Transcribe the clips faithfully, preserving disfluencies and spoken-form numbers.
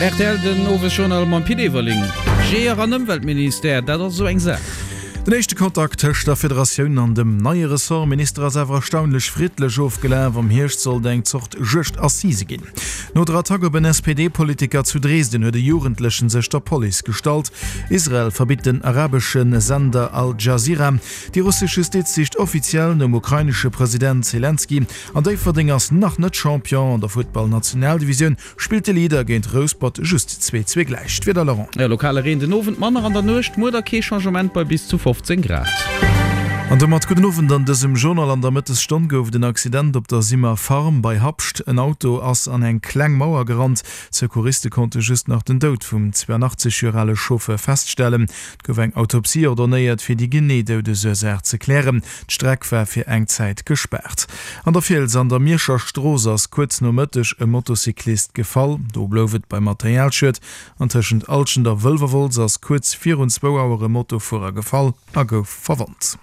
Rtl den Owesjournal mam Pit Everling. Jeeër an Ëmweltministère, dat ass esou eng Saach. Den éischte Kontakt tëscht der Federatioun an dem neie Ressortminister ass awer erstaunlech friddlech ofgelaf. Am Hierscht sollt eng Zort Juegd-Assise ginn. No der Attack op en S P D-Politiker zu Dresden huet e Jugendlechen sech der Police gestallt. Israel verbitt den arabesche Sender Al Jazeera. Déi russesch Justiz sicht offiziell nom ukrainesche President Selenskyj. An Déifferdeng ass nach net Champion. An der Futtball-Nationaldivisioun spillt de Leader géint Rouspert just zwee zwee gläich. D'Wieder, Laurent. Jo, lokale Reen den Owend, manner an der Nuecht, muer da kee Changement bei bis zu fofzéng Grad. An domat gudden Owend an dësem Journal. An der Mëttesstonn gouf et en Accident op der Simmer Farm bei Habscht. En Auto ass an eng kleng Mauer gerannt. D'Secouriste konnte just nach den Doud vum zweianachtzeg Joer ale Chauffeur feststellen. Et gouf eng Autopsie ordonéiert, fir déi genee Doudesursaach ze klären. D'Streck war fir eng Zäit gespaart. An der Fiels an der Mierscher Strooss ass kuerz no Mëtteg e Motocyclist gefall. Do blouf et beim Materialschued. An tëschent Alschent a Wëlwerwolz ass kuerz virun zwou Auer e Motofuerer gefall a gouf verwonnt.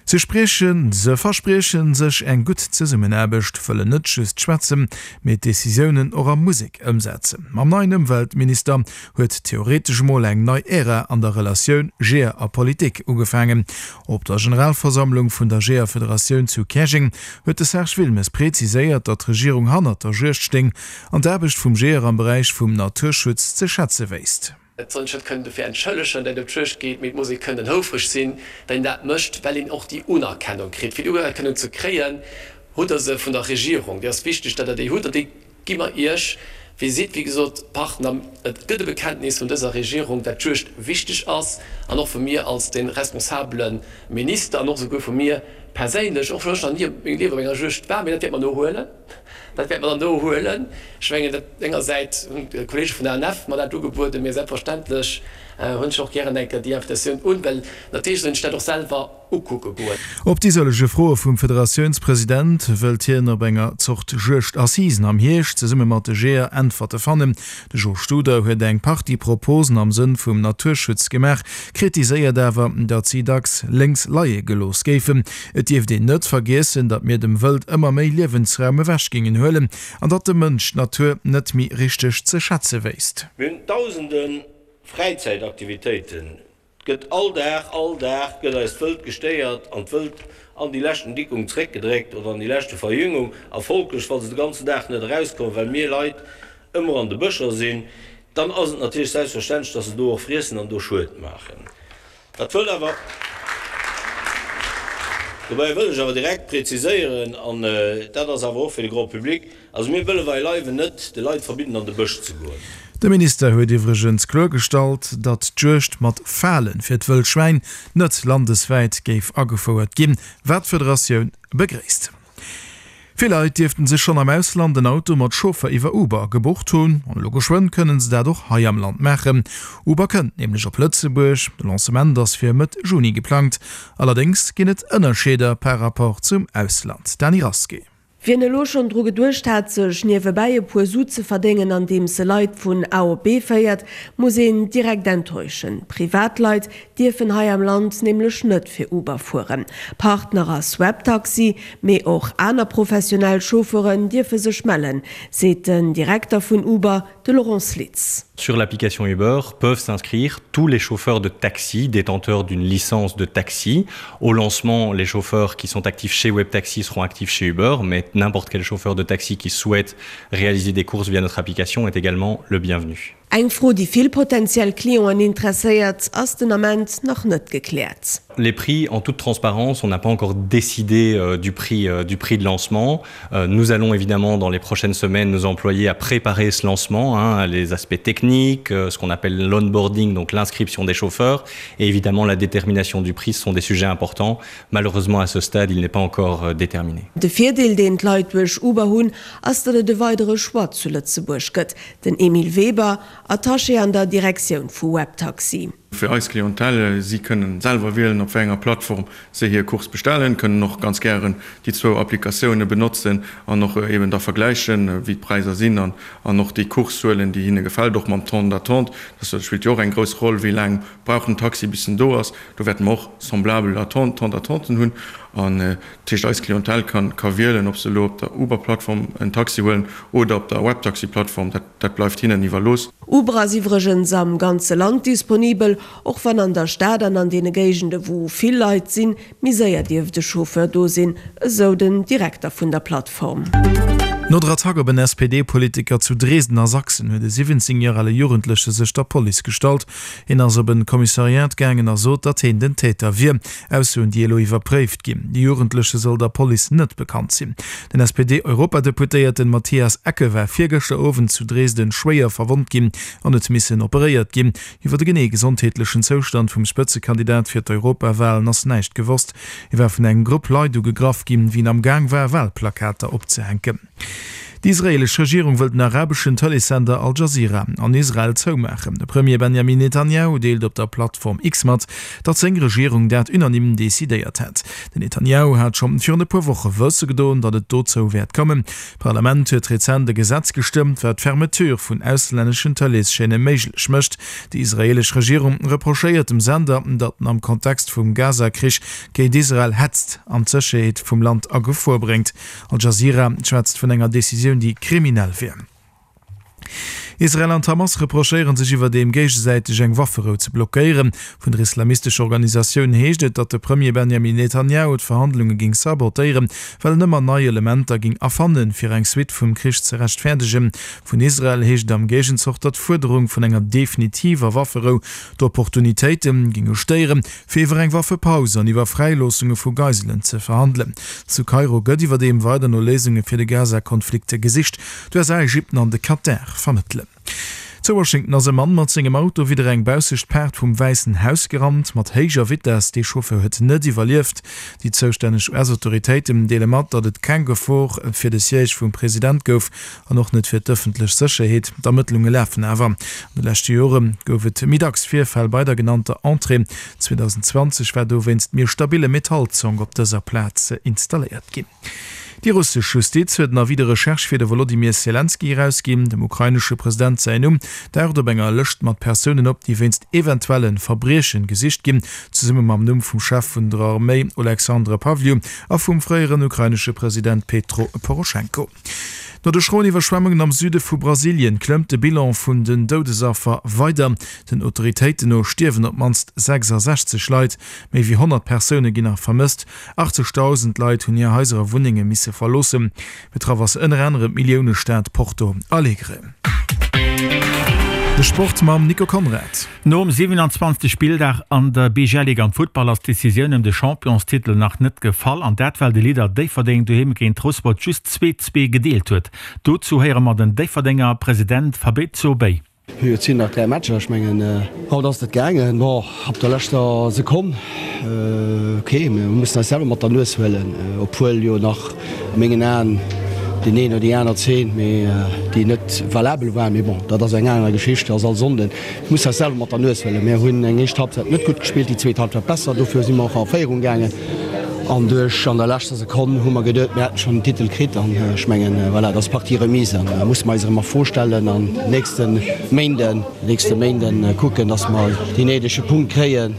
Se spriechen, se verspriechen sech eng gutt Zesummenaarbecht, wëllen net just schwätzen, mee d'Decisiounen och a Musek ëmsetzen. Mam neien Ëmweltminister huet theoretesch emol eng nei Ära an der Relatioun Jeeër a Politik ugefaangen. Op der Generalversammlung vun der Jeeërfederatioun zu Käerjeng huet de Serge Wilmes preziséiert, datt d'Regierung hannert der Juegd stéing an d'Aarbecht vum Jeeër am Beräich vum Naturschutz ze schätze wéisst. Et soll een sech net kënnen dofir entschëllegen, datt et op d'Juegd geet, mee et muss ee kënnen houfreg sinn, datt een dat mécht, well een och déi Unerkennung kritt. Fir déi Unerkennung ze kréien, hutt Der se vun der Regierung. Déi ass wichteg, datt Der déi hutt, an déi gi mer Iech. Dir sidd, wéi gesot, Partner. Et gëtt e Bekenntnis vun dëser Regierung, datt d'Juegd wichteg ass, an och vu mir als de responsabele Minister an och esouguer vu mir perséinlech, och wann ech nach ni op mengem Liewen op enger Juegd war, mee dat wäerte mer nohuelen. Dat wäerte mer dann nohuelen. Ech mengen, dat engersäits hunn d'Kollege vun der A N F mer dat ugebueden, mee selbstverständlech hunn ech och gären eng Kéier déi Invitatioun un, well natierlech soll een sech dat och selwer ukucke goen. Op déi sëllege Froe vum Federatiounspresident wëllt hien op enger Zort Juegdassisen am Hierscht zesumme mat de Jeeër Äntwerte fannen. De Jo Studer huet eng Partie Proposen am Sënn vum Naturschutz gemaach, kritiséiert awer, datt si dacks lénks leie gelooss géifen. Et dierft een net vergiessen, datt mir dem Wëld ëmmer méi Liewensraum ewech géingen huelen an datt de Mënsch d'Natur net méi richteg ze schätze wéisst. Mir hunn dausende Fräizäitaktivitéiten. Et gëtt all Dag, all Dag gëtt eist Wëld gestéiert an d'Wëld an déi leschten Dickung zréckgedréckt oder an déi leschte Verjüngung. A folglech, wa se de ganzen Dag net erauskommen, well mir Leit ëmmer an de Bëscher sinn, dann ass et natierlech selbstverständlech, dass se do och friessen an do Schued maachen. Dat wëll awer, dobäi wëll ech awer direkt präziséieren, an dat ass awer och fir de Grand public, also mir wëlle beileiwen net de Leit verbidden an de Bësch ze goen. De Minister huet iwwregens kloergestallt, datt d'Juegd mat Fale fir d'Wëllschwäin net landeswäit géif agefouert ginn, wat d'Federatioun begréisst. Vill Leit dierften sech schonn am Ausland en Auto mat Chauffer iwwer Uber gebucht hunn. An elo geschwënn kënnen se dat och hei am Land maachen. Uber kënnt nämlech op Lëtzebuerg. De Lancement ass fir Mëtt Juni geplangt. Allerdéngs ginn et Ënnerscheeder par Rapport zum Ausland. Dany Rasqué. Wien elo schonn dru geduecht hat, sech niewebäi e puer Su ze verdéngen, andeems e Leit vun A op B féiert, muss een direkt enttäuschen. Privatleit dierfen hei am Land nämlech net fir Uber fueren. Partner ass Webtaxi, mee och aner professionell Chauffeuren dierfe sech mellen, seet den Direkter vun Uber, de Laurent Slitz. Sur l'application Uber peuvent s'inscrire tous les chauffeurs de taxi détenteurs d'une licence de taxi. Au lancement, les chauffeurs qui sont actifs chez Webtaxi seront actifs chez Uber, mais n'importe quel chauffeur de taxi qui souhaite réaliser des courses via notre application est également le bienvenu. Eng Fro, déi vill potentiell Clienten interesséiert, ass den Ament nach net gekläert. Les prix, en toute transparence, on n'a pas encore décidé euh, du prix, euh, du prix de lancement. Euh, nous allons évidemment dans les prochaines semaines nous employer à préparer ce lancement, hein, les aspects techniques, euh, ce qu'on appelle l'onboarding, donc l'inscription des chauffeurs, et évidemment la détermination du prix, ce sont des sujets importants. Malheureusement, à ce stade, il n'est pas encore euh, déterminé. De Virdeel, deen d'Leit duerch Uber hunn, ass datt et e weidere Choix zu Lëtzebuerg gëtt. Den Emile Weber, Attaché an der Direktioun vu Webtaxi. Fir eis Clientèle, si kënnen selwer wielen, op wéi enger Plattform se hir Course bestellen, kënnen och ganz gären déi zwou Applikatioune benotzen an och eben da vergläichen, wéi d'Präisser sinn an an och déi Course huelen, déi hinne gefält, och mam Temps d'attente. Dat spillt jo och eng grouss Roll, wéi laang brauch den Taxi, bis en do ass. Do wäerte mer och semblabel Attente, Temps d'attenten hunn. An dat heescht, eis Clientèle kann ka wielen, ob se elo op der Uber-Plattform en Taxi huelen oder op der Webtaxi-Plattform. Dat dat bleift hinnen iwwerlooss. Uber ass iwwregens am ganze Land disponibel, och wann an der Stad an an deene Géigende wou vill Leit sinn, méi séier dierft e Chauffeur do sinn, esou den Direkter vun der Plattform. No der Attack op en S P D-Politiker zu Dresden a Sachsen huet e siwwenzéng Joer ale Jugendleche sech der Police gestallt. Hien ass op en Kommissariat gaangen a sot, datt hien den Täter wier. Aussoen, déi elo iwwerpréift ginn. De Jugendleche soll der Police net bekannt sinn. Den S P D-Europadeputéierten Matthias Ecke war virgëschter Owend zu Dresden schwéier verwonnt ginn an huet missen operéiert ginn. Iwwer de genee gesondheetlechen Zoustand vum Spëtzekandidat fir d'Europawalen ass näischt gewosst. Hie war vun engem Grupp Leit ugegraff ginn, wéi en am Gaang war, Walplakater opzehänken. Déi israeelesch Regierung wëll den arabeschen Tëleessender Al Jazeera an Israel zoumaachen. De Premier Benjamin Netanjahu deelt op der Plattform X mat, datt seng Regierung dat unanime decidéiert hätt. Den Netanjahu hat scho virun e puer Woche wësse gedoen, datt et dozou wäert kommen. D'Parlament huet rezent e Gesetz gestëmmt, wat d'Fermeture vun auslänneschen Tëleeschaîne méiglech mécht. Déi israeelesch Regierung reprochéiert dem Sender, datt en am Kontext vum Gaza-Krich géint Israel hetzt an d'Sécherheet vum Land a Gefor bréngt. Al Jazeera schwätzt vun enger Decisioun, déi kriminell wier. Israel an d'Hamas reprochéiere sech iwwerdeem géigesäiteg eng Wafferou ze blockéieren. Vun der islamistescher Organisatioun heescht et, datt de Premier Benjamin Netanjahu d'Verhandlunge géing sabotéieren, well en ëmmer nei Elementer géing erfannen, fir eng Suite vum Krich ze rechtfäerdegen. Vun Israel heescht et am Géigenzoch, datt d'Fuerderung vun enger definitiver Wafferou d'Opportunitéite géinge stéieren, fir iwwer eng Waffepaus an iwwer Fräiloossunge vu Geiselen ze verhandelen. Zu Kairo gëtt iwwerdeem weider no Léisunge fir de Gaza-Konflikt gesicht. D'U S A, Ägypten an de Katar vermëttelen. Zu Washington ass e Mann mat sengem Auto widder eng baussescht Paart vum Wäissen Haus gerannt, mat héijer Vitess. Dee Chauffeur huet net iwwerlieft. Déi zoustänneg U S-Autoritéiten deele mat, datt et keng Gefor fir de Siège vum President gouf an och net fir d'ëffentlech Sécherheet. D'Ermëttlunge lafen awer. An de leschte Jore gouf et méi dacks Virfäll bei der genannter Entrée. zweedausendzwanzeg war dowéinst méi e stabille Metallzong op dëser Plaz installéiert ginn. Déi russesch Justiz huet en Avis de recherche fir de Wolodymyr Selenskyj erausginn. Dem ukrainesche President säin Numm daucht op enger Lëscht mat Persounen op, déi wéinst eventuelle Verbriechen gesicht ginn, zesumme mam Numm vum Chef vun der Arméi Oleksandr Pavliuk a vum fréieren ukrainesche President Petro Poroschenko. No de schroen Iwwerschwemmungen am Süde vu Brasilien klëmmt de Bilan vun den Doudesaffer weider. Den Autoritéiten no stierwen op d'mannst sechsasechzeg Leit, méi wéi honnert Persoune ginn nach vermësst. achtzegdausend Leit hunn hir Haiser a Wunnenge misse verloossen. Betraff ass ënner anerem d'Milliounestad Porto Alegre. De Sport mam Nico Conrad. Nom siwenanzwanzegste Spilldag an der B G L-Liga am Futtball ass d'Decisioun ëm de Championstitel nach net gefall. An dat well de Leader Déifferdeng doheem géint Rouspert just zwee zwee gedeelt huet. Dozou héiere mer den Déifferdenger President Fabrizio Bay. Jo, et sinn nach dräi Matcher. Ech mengen, haut ass et gaangen. Bon, op der leschter Sekonn. Ok, mir mussen eis selwer mat der Nues huelen, obwuel jo nach a mengen Aen deen een oder déi aner Zeen, mee déi net valabel war. Mee bon, dat ass eng aner Geschicht, dat ass all Sonnden. Mir mussen eis selwer mat der Nues huelen. Mir hunn eng éischt Halbzeit net gutt gespillt, déi zweet Halbzeit besser. Dofir si mer och a Féierung gaangen. An duerch an der leschter Sekonn hu mer geduet, mir hätten schonn den Titel kritt. An ech mengen, voilà, dat ass Partie remise. An da musse mer eis erëm a Fro stellen an nächste Méinden, nächste Méinden kucken, datt mer deen néidege Punkt kréien.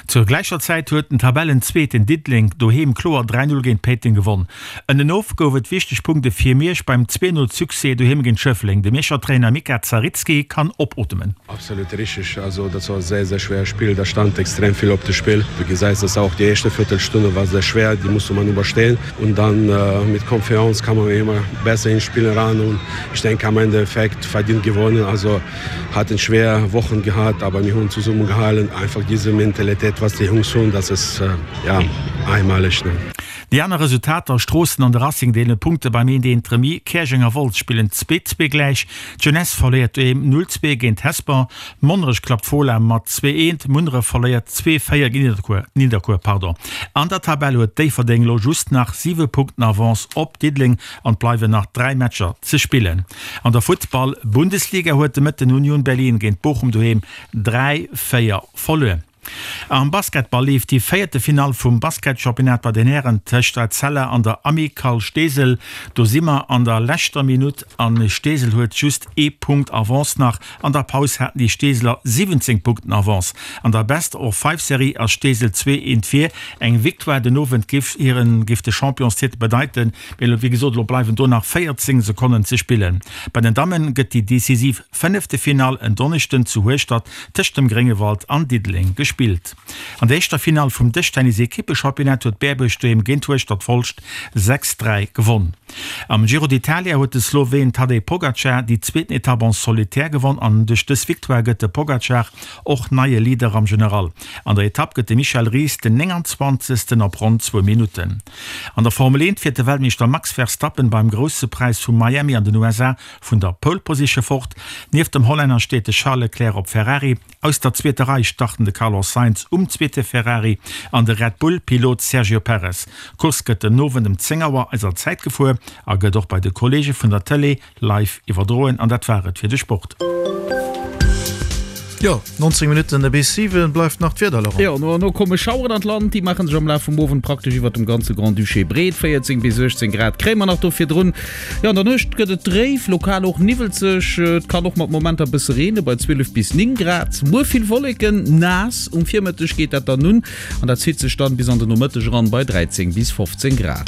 Zur gläicher Zäit huet den Tabellenzweeten Diddeleng doheem kloer dräi Null géint Péiteng gewonn. Ënnenof gouf et wichteg Punkte fir Miersch beim zwee Null Succès doheem géint Schëffleng. De Mierscher Trainer Mika Zaritski kann opootmen. Absolut richtig, also das war sehr sehr schwer Spiel, da stand extrem viel op dem Spiel. Du gesäis, dass auch die erste Viertelstunde war sehr schwer, die musste man überstehen und dann mit Confiance kam man immer besser ins Spiel ran und ich denke am Endeffekt verdient gewonnen, also hatten schwer Wochen gehabt, aber wir haben zusammengehalten, einfach diese Mentalität, was die Jungs tun, das ist ja einmalig. Ne? Déi aner Resultater, Stroossen an de Racing deelen Punkte beim eent eent Remis, Käerjeng a Wolz spillen zwee zwee gläich, d'Jeunesse verléiert doheem null zwee géint Hesper, Monnerech klappt Fola mat zwee eent, Munneref verléiert zwee véier géint Nidderkuer. An der Tabell huet Déifferdeng elo just nach siwe Punkten Avance op Diddeleng an et bleiwen nach dräi Matcher ze spillen. An der Futtball-Bundesliga huet de Mëtten Union Berlin géint Bochum doheem dräi véier verluer. Am Basketball leeft déi véierte Finall vum Basketchampionnat bei den Hären tëscht Etzella an der Amicale Steesel. Do si mer an der leschter Minutt an Steesel huet just ee Punkt Avance nach. An der Paus haten déi Steeseler siwwenzéng Punkten Avance. An der Best of Five Serie ass Steesel zwee eent vir. Eng Victoire den Owend géif hiren géif de Championstitel bedeiten, mee elo wéi gesot elo bleiwen do nach véierzéng Sekonnen ze spillen. Bei den Damme gëtt déi decisiv fënnefte Finall en Donneschden zu Hueschtert tëscht dem Gréngewald an Diddeleng gespillt. An der éischter Finall vum Dëschtennis-Ekippechampionnat huet Berbuerg doheem géint Hueschtert Folscht sechs, dräi gewonn. Am Giro d'Italia huet de Sloween Tadej Pogacar déi zweeten Etapp en solitaire gewonn an duerch dës Victoire gëtt de Pogacar och neie Leader am General. An der Etapp gëtt de Michel Ries den nénganzwanzegsten op ronn zwou Minutten. An der Formel eent fiert de Weltmeeschter Max Verstappen beim Grousse Präis vu Miami an den U S A vun der Pole Position fort. Nieft dem Hollänner steet de Charles Leclerc op Ferrari. Aus der zweeter Rei starten de Carlos Sainz um zweete Ferrari an de Red Bull Pilot Sergio Perez. D'Course gëtt den Owend ëm zéng Auer eiser Zäit gefuer a gëtt och bei de Kolleege vun der Tëlee live iwwerdroen. An dat war et fir de Sport. Jo, nonzéng Minutten bis siwen bleift nach d'Wieder, Laurent. Jo, no an no komme Schaueren an d'Land, déi maache sech am Laf vum Owend praktesch iwwert dem ganze Grand-Duché breet. véierzéng bis uechtzéng Grad kréie mer nach do virdrun. Jo, an der Nuecht gëtt et dréif, lokal och niwwelzeg. Et kann och mat Momenter e bësse reene bei zwielef bis néng Grad. Muer vill Wolleken, naass, um Virmëtteg geet dat dann un an dat zitt sech dann bis an de Nomëtteg eran bei dräizéng bis fofzéng Grad.